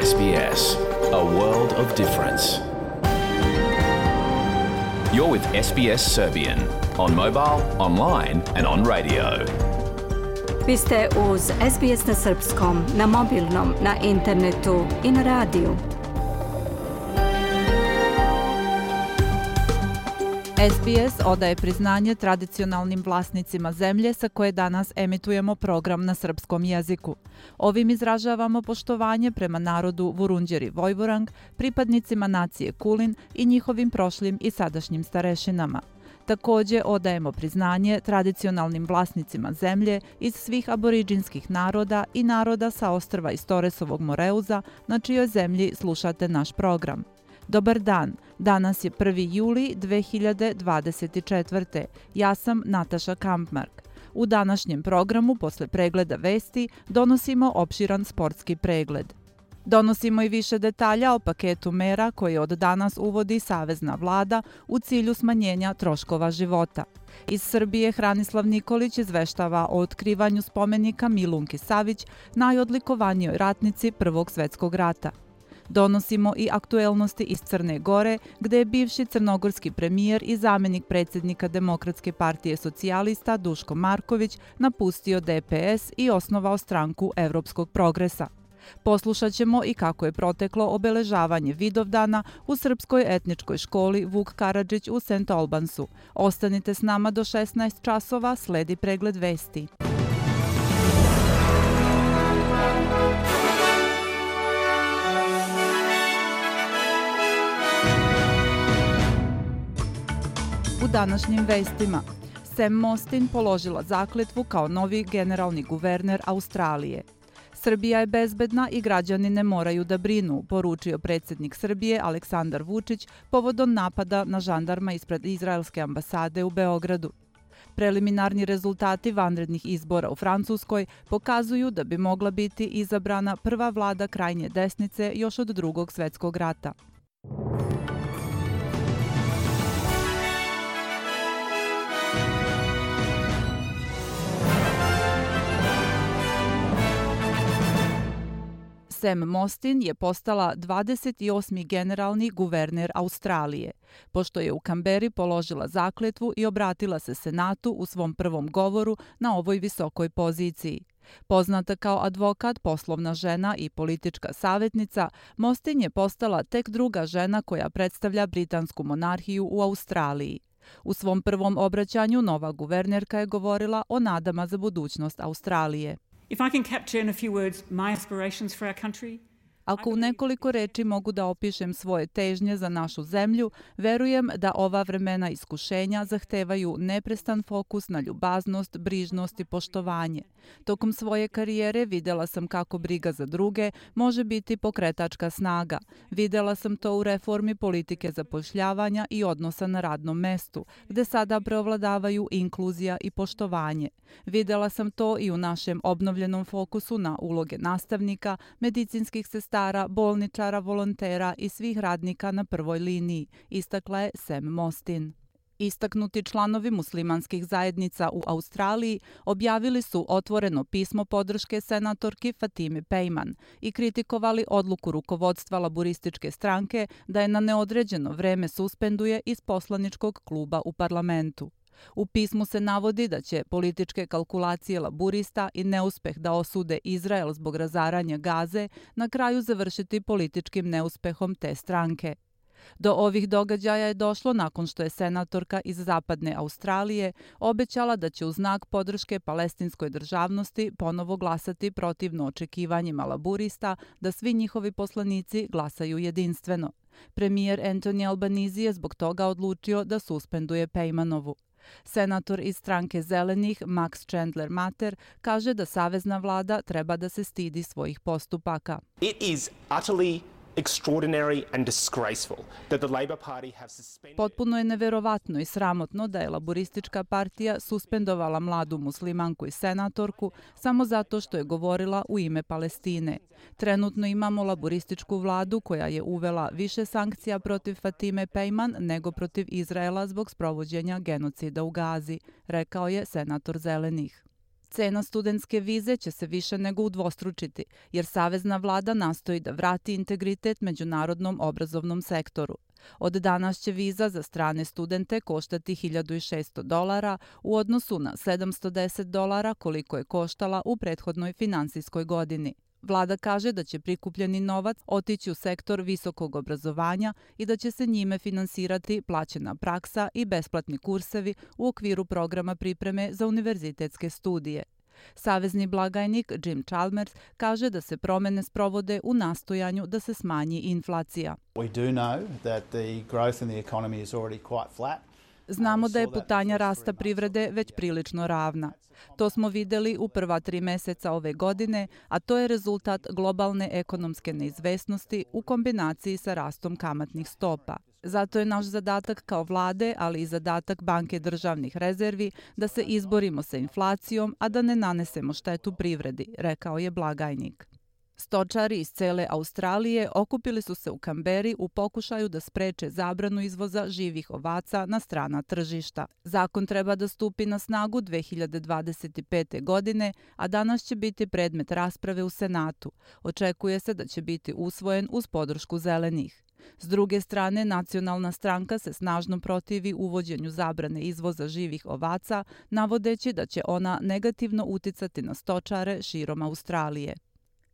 SBS, a world of difference. You're with SBS Serbian on mobile, online and on radio. Vi ste uz SBS na srpskom, na mobilnom, na internetu i na radiju. SBS odaje priznanje tradicionalnim vlasnicima zemlje sa koje danas emitujemo program na srpskom jeziku. Ovim izražavamo poštovanje prema narodu Vurundjeri Vojvorang, pripadnicima nacije Kulin i njihovim prošlim i sadašnjim starešinama. Također odajemo priznanje tradicionalnim vlasnicima zemlje iz svih aboriđinskih naroda i naroda sa ostrva iz Toresovog Moreuza, na čijoj zemlji slušate naš program. Dobar dan, danas je 1. juli 2024. Ja sam Nataša Kampmark. U današnjem programu, posle pregleda vesti, donosimo opširan sportski pregled. Donosimo i više detalja o paketu mera koje od danas uvodi Savezna vlada u cilju smanjenja troškova života. Iz Srbije Hranislav Nikolić izveštava o otkrivanju spomenika Milunki Savić, najodlikovanijoj ratnici Prvog svjetskog rata. Donosimo i aktuelnosti iz Crne Gore, gde je bivši crnogorski premijer i zamenik predsjednika Demokratske partije socijalista Duško Marković napustio DPS i osnovao stranku Evropskog progresa. Poslušat ćemo i kako je proteklo obeležavanje Vidovdana u srpskoj etničkoj školi Vuk Karadžić u St. Albansu. Ostanite s nama do 16 časova, sledi pregled vesti. U današnjim vestima Sam Mostyn položila zakletvu kao novi generalni guverner Australije. Srbija je bezbedna i građani ne moraju da brinu, poručio predsjednik Srbije Aleksandar Vučić povodom napada na žandarma ispred izraelske ambasade u Beogradu. Preliminarni rezultati vanrednih izbora u Francuskoj pokazuju da bi mogla biti izabrana prva vlada krajnje desnice još od Drugog svjetskog rata. Sam Mostyn je postala 28. generalni guverner Australije, pošto je u Kamberi položila zakletvu i obratila se Senatu u svom prvom govoru na ovoj visokoj poziciji. Poznata kao advokat, poslovna žena i politička savjetnica, Mostyn je postala tek druga žena koja predstavlja britansku monarhiju u Australiji. U svom prvom obraćanju nova guvernerka je govorila o nadama za budućnost Australije. Ako u nekoliko reči mogu da opišem svoje težnje za našu zemlju, verujem da ova vremena iskušenja zahtevaju neprestan fokus na ljubaznost, brižnost i poštovanje. Tokom svoje karijere videla sam kako briga za druge može biti pokretačka snaga. Videla sam to u reformi politike zapošljavanja i odnosa na radnom mestu, gde sada preovladavaju inkluzija i poštovanje. Videla sam to i u našem obnovljenom fokusu na uloge nastavnika, medicinskih sestara, bolničara, volontera i svih radnika na prvoj liniji, istakla je Sam Mostyn. Istaknuti članovi muslimanskih zajednica u Australiji objavili su otvoreno pismo podrške senatorki Fatime Pejman i kritikovali odluku rukovodstva laburističke stranke da je na neodređeno vreme suspenduje iz poslaničkog kluba u parlamentu. U pismu se navodi da će političke kalkulacije laburista i neuspeh da osude Izrael zbog razaranja Gaze na kraju završiti političkim neuspehom te stranke. Do ovih događaja je došlo nakon što je senatorka iz zapadne Australije obećala da će u znak podrške palestinskoj državnosti ponovo glasati protivno očekivanjima laburista da svi njihovi poslanici glasaju jedinstveno. Premijer Anthony Albanese je zbog toga odlučio da suspenduje Pejmanovu. Senator iz stranke Zelenih Max Chandler Mater kaže da savezna vlada treba da se stidi svojih postupaka. It is utterly extraordinary and disgraceful that the Labor Party have suspended. Potpuno je neverovatno i sramotno da je laburistička partija suspendovala mladu muslimanku i senatorku samo zato što je govorila u ime Palestine. Trenutno imamo laburističku vladu koja je uvela više sankcija protiv Fatime Pejman nego protiv Izraela zbog sprovođenja genocida u Gazi, rekao je senator Zelenih. Cena studentske vize će se više nego udvostručiti, jer savezna vlada nastoji da vrati integritet međunarodnom obrazovnom sektoru. Od danas će viza za strane studente koštati $1.600 u odnosu na $710 koliko je koštala u prethodnoj finansijskoj godini. Vlada kaže da će prikupljeni novac otići u sektor visokog obrazovanja i da će se njime finansirati plaćena praksa i besplatni kursevi u okviru programa pripreme za univerzitetske studije. Savezni blagajnik Jim Chalmers kaže da se promene sprovode u nastojanju da se smanji inflacija. Znamo da je putanja rasta privrede već prilično ravna. To smo videli u prva 3 meseca ove godine, a to je rezultat globalne ekonomske neizvesnosti u kombinaciji sa rastom kamatnih stopa. Zato je naš zadatak kao vlade, ali i zadatak Banke državnih rezervi da se izborimo sa inflacijom, a da ne nanesemo štetu privredi, rekao je blagajnik. Stočari iz cele Australije okupili su se u Kamberi u pokušaju da spreče zabranu izvoza živih ovaca na strana tržišta. Zakon treba da stupi na snagu 2025. godine, a danas će biti predmet rasprave u Senatu. Očekuje se da će biti usvojen uz podršku zelenih. S druge strane, Nacionalna stranka se snažno protivi uvođenju zabrane izvoza živih ovaca, navodeći da će ona negativno uticati na stočare širom Australije.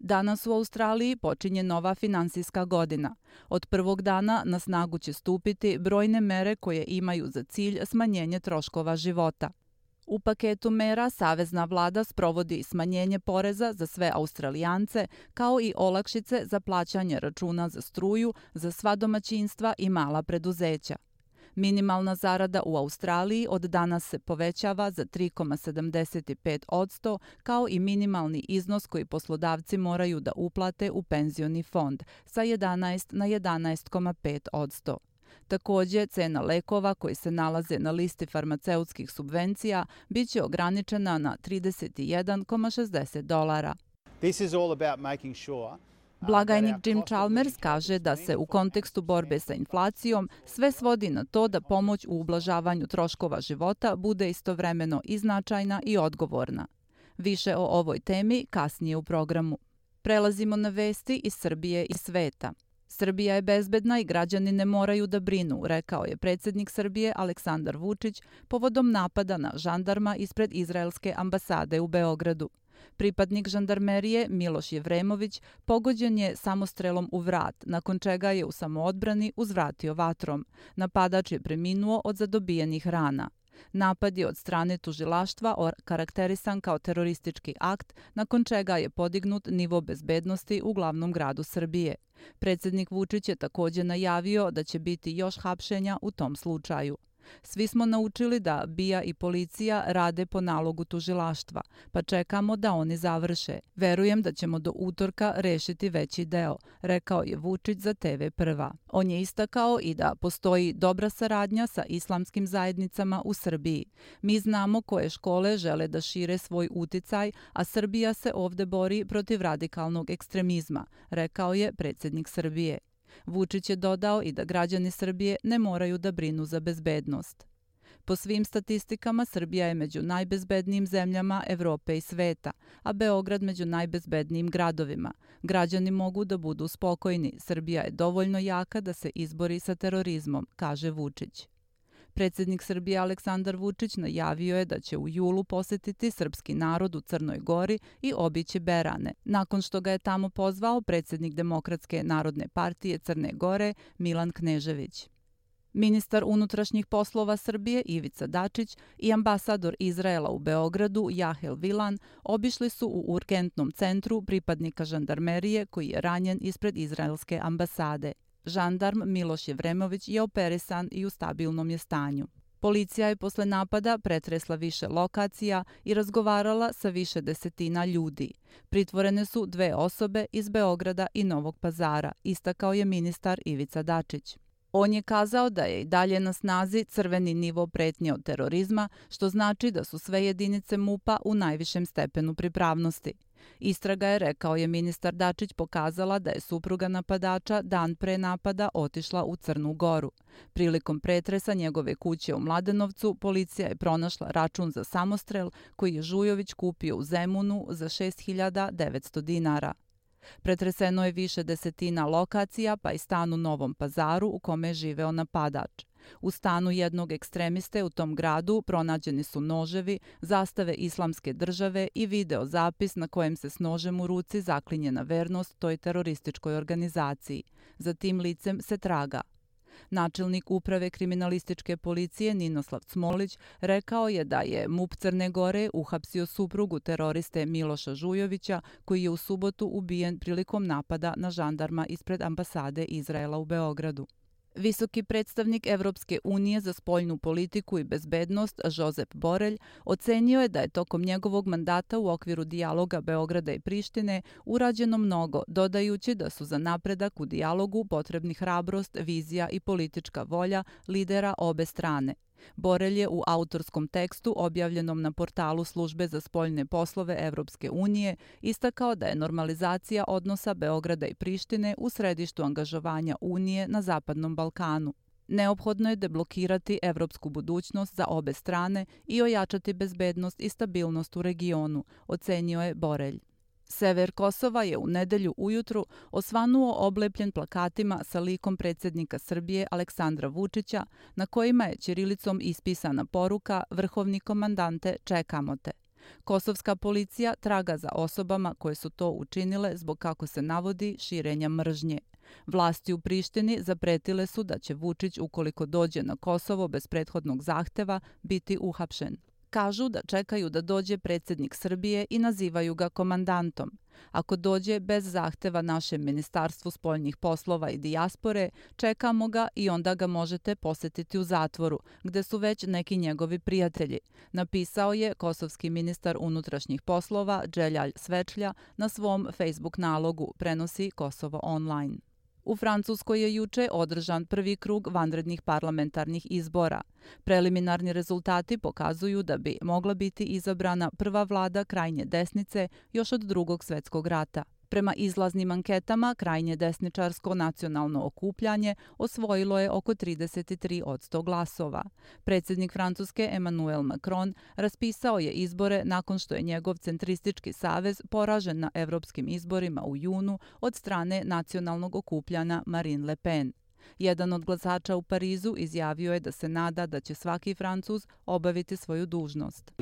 Danas u Australiji počinje nova finansijska godina. Od prvog dana na snagu će stupiti brojne mere koje imaju za cilj smanjenje troškova života. U paketu mera savezna vlada sprovodi smanjenje poreza za sve Australijance, kao i olakšice za plaćanje računa za struju za sva domaćinstva i mala preduzeća. Minimalna zarada u Australiji od danas se povećava za 3,75%, kao i minimalni iznos koji poslodavci moraju da uplate u penzioni fond sa 11 na 11,5%. Takođe, cena lekova koji se nalaze na listi farmaceutskih subvencija biće ograničena na $31,60. Blagajnik Jim Chalmers kaže da se u kontekstu borbe sa inflacijom sve svodi na to da pomoć u ublažavanju troškova života bude istovremeno i značajna i odgovorna. Više o ovoj temi kasnije u programu. Prelazimo na vesti iz Srbije i sveta. Srbija je bezbedna i građani ne moraju da brinu, rekao je predsjednik Srbije Aleksandar Vučić povodom napada na žandarma ispred izraelske ambasade u Beogradu. Pripadnik žandarmerije Miloš Jevremović pogođen je samostrelom u vrat, nakon čega je u samoodbrani uzvratio vatrom. Napadač je preminuo od zadobijenih rana. Napad je od strane tužilaštva karakterisan kao teroristički akt, nakon čega je podignut nivo bezbednosti u glavnom gradu Srbije. Predsjednik Vučić je takođe najavio da će biti još hapšenja u tom slučaju. Svi smo naučili da BIA i policija rade po nalogu tužilaštva, pa čekamo da oni završe. Verujem da ćemo do utorka rešiti veći deo, rekao je Vučić za TV Prva. On je istakao i da postoji dobra saradnja sa islamskim zajednicama u Srbiji. Mi znamo koje škole žele da šire svoj uticaj, a Srbija se ovde bori protiv radikalnog ekstremizma, rekao je predsjednik Srbije. Vučić je dodao i da građani Srbije ne moraju da brinu za bezbednost. Po svim statistikama, Srbija je među najbezbednijim zemljama Evrope i sveta, a Beograd među najbezbednijim gradovima. Građani mogu da budu spokojni, Srbija je dovoljno jaka da se izbori sa terorizmom, kaže Vučić. Predsjednik Srbije Aleksandar Vučić najavio je da će u julu posetiti srpski narod u Crnoj Gori i obići Berane, nakon što ga je tamo pozvao predsjednik Demokratske narodne partije Crne Gore Milan Knežević. Ministar unutrašnjih poslova Srbije Ivica Dačić i ambasador Izraela u Beogradu Jahel Vilan obišli su u urgentnom centru pripadnika žandarmerije koji je ranjen ispred izraelske ambasade. Žandarm Miloš Jevremović je operisan i u stabilnom je stanju. Policija je posle napada pretresla više lokacija i razgovarala sa više desetina ljudi. Pritvorene su 2 osobe iz Beograda i Novog Pazara, istakao je ministar Ivica Dačić. On je kazao da je i dalje na snazi crveni nivo pretnje od terorizma, što znači da su sve jedinice MUP-a u najvišem stepenu pripravnosti. Istraga je, rekao je ministar Dačić, pokazala da je supruga napadača dan pre napada otišla u Crnu Goru. Prilikom pretresa njegove kuće u Mladenovcu, policija je pronašla račun za samostrel koji je Žujović kupio u Zemunu za 6.900 dinara. Pretreseno je više desetina lokacija, pa i stan u Novom Pazaru u kome je živeo napadač. U stanu jednog ekstremiste u tom gradu pronađeni su noževi, zastave Islamske države i video zapis na kojem se s nožem u ruci zaklinje na vernost toj terorističkoj organizaciji. Za tim licem se traga. Načelnik uprave kriminalističke policije Ninoslav Cmolić rekao je da je MUP Crne Gore uhapsio suprugu teroriste Miloša Žujovića, koji je u subotu ubijen prilikom napada na žandarma ispred ambasade Izraela u Beogradu. Visoki predstavnik Evropske unije za spoljnu politiku i bezbednost Josep Borelj ocenio je da je tokom njegovog mandata u okviru dijaloga Beograda i Prištine urađeno mnogo, dodajući da su za napredak u dijalogu potrebni hrabrost, vizija i politička volja lidera obe strane. Borelj je u autorskom tekstu objavljenom na portalu Službe za spoljne poslove Evropske unije istakao da je normalizacija odnosa Beograda i Prištine u središtu angažovanja Unije na Zapadnom Balkanu. Neophodno je deblokirati evropsku budućnost za obe strane i ojačati bezbednost i stabilnost u regionu, ocenio je Borelj. Sever Kosova je u nedelju ujutru osvanuo oblepljen plakatima sa likom predsjednika Srbije Aleksandra Vučića, na kojima je ćirilicom ispisana poruka "Vrhovni komandante, čekamo te". Kosovska policija traga za osobama koje su to učinile zbog, kako se navodi, širenja mržnje. Vlasti u Prištini zapretile su da će Vučić, ukoliko dođe na Kosovo bez prethodnog zahteva, biti uhapšen. Kažu da čekaju da dođe predsjednik Srbije i nazivaju ga komandantom. Ako dođe bez zahteva našem Ministarstvu spoljnih poslova i dijaspore, čekamo ga i onda ga možete posetiti u zatvoru, gde su već neki njegovi prijatelji, napisao je kosovski ministar unutrašnjih poslova Dželjalj Svečlja na svom Facebook nalogu, prenosi Kosovo online. U Francuskoj je juče održan prvi krug vanrednih parlamentarnih izbora. Preliminarni rezultati pokazuju da bi mogla biti izabrana prva vlada krajnje desnice još od Drugog svjetskog rata. Prema izlaznim anketama, krajnje desničarsko nacionalno okupljanje osvojilo je oko 33% glasova. Predsjednik Francuske Emmanuel Macron raspisao je izbore nakon što je njegov centristički savez poražen na evropskim izborima u junu od strane nacionalnog okupljanja Marine Le Pen. Jedan od glasača u Parizu izjavio je da se nada da će svaki Francuz obaviti svoju dužnost.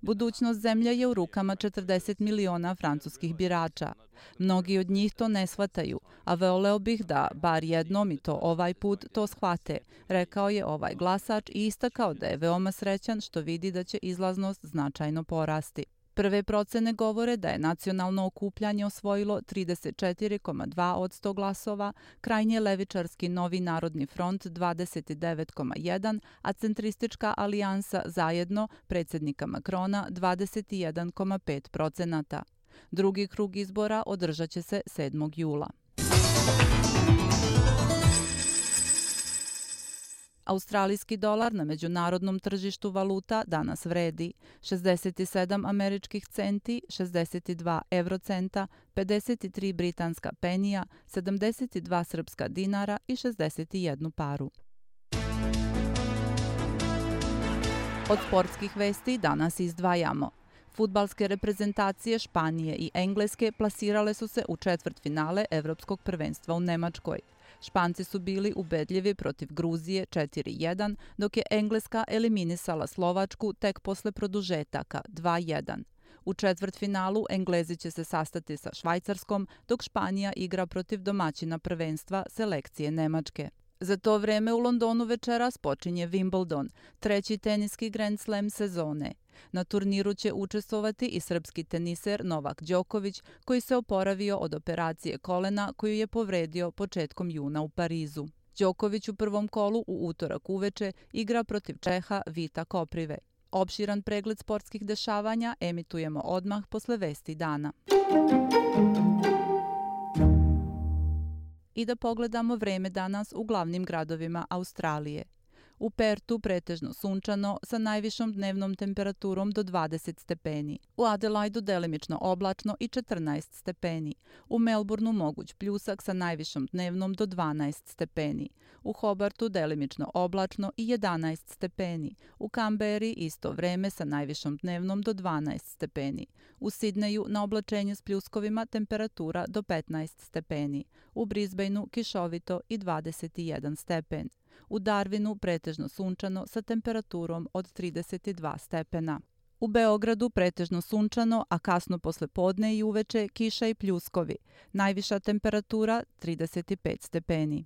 Budućnost zemlje je u rukama 40 miliona francuskih birača. Mnogi od njih to ne shvataju, a voleo bih da bar jednom i to ovaj put to shvate, rekao je ovaj glasač i istakao da je veoma srećan što vidi da će izlaznost značajno porasti. Prve procene govore da je nacionalno okupljanje osvojilo 34,2% glasova, krajnje levičarski Novi narodni front 29,1%, a centristička alijansa Zajedno predsjednika Macrona 21,5%. Drugi krug izbora održat će se 7. jula. Australijski dolar na međunarodnom tržištu valuta danas vredi 67 američkih centi, 62 eurocenta, 53 britanska penija, 72 srpska dinara i 61 paru. Od sportskih vesti danas izdvajamo. Fudbalske reprezentacije Španije i Engleske plasirale su se u četvrtfinale Evropskog prvenstva u Nemačkoj. Španci su bili ubedljivi protiv Gruzije 4:1, dok je Engleska eliminisala Slovačku tek posle produžetaka 2:1. U četvrtfinalu Englezi će se sastati sa Švajcarskom, dok Španija igra protiv domaćina prvenstva selekcije Nemačke. Za to vreme u Londonu večeras počinje Wimbledon, treći teniski Grand Slam sezone. Na turniru će učestvovati i srpski teniser Novak Đoković, koji se oporavio od operacije kolena koju je povredio početkom juna u Parizu. Đoković u prvom kolu u utorak uveče igra protiv Čeha Vita Koprive. Opširan pregled sportskih dešavanja emitujemo odmah posle vesti dana. I da pogledamo vreme danas u glavnim gradovima Australije. U Pertu pretežno sunčano sa najvišom dnevnom temperaturom do 20 stepeni. U Adelaidu delimično oblačno i 14 stepeni. U Melbourneu moguć pljusak sa najvišom dnevnom do 12 stepeni. U Hobartu delimično oblačno i 11 stepeni. U Kamberi isto vreme sa najvišom dnevnom do 12 stepeni. U Sidneju na oblačenje s pljuskovima temperatura do 15 stepeni. U Brisbaneu kišovito i 21 stepen. U Darwinu pretežno sunčano sa temperaturom od 32 stepena. U Beogradu pretežno sunčano, a kasno posle podne i uveče kiša i pljuskovi. Najviša temperatura 35 stepeni.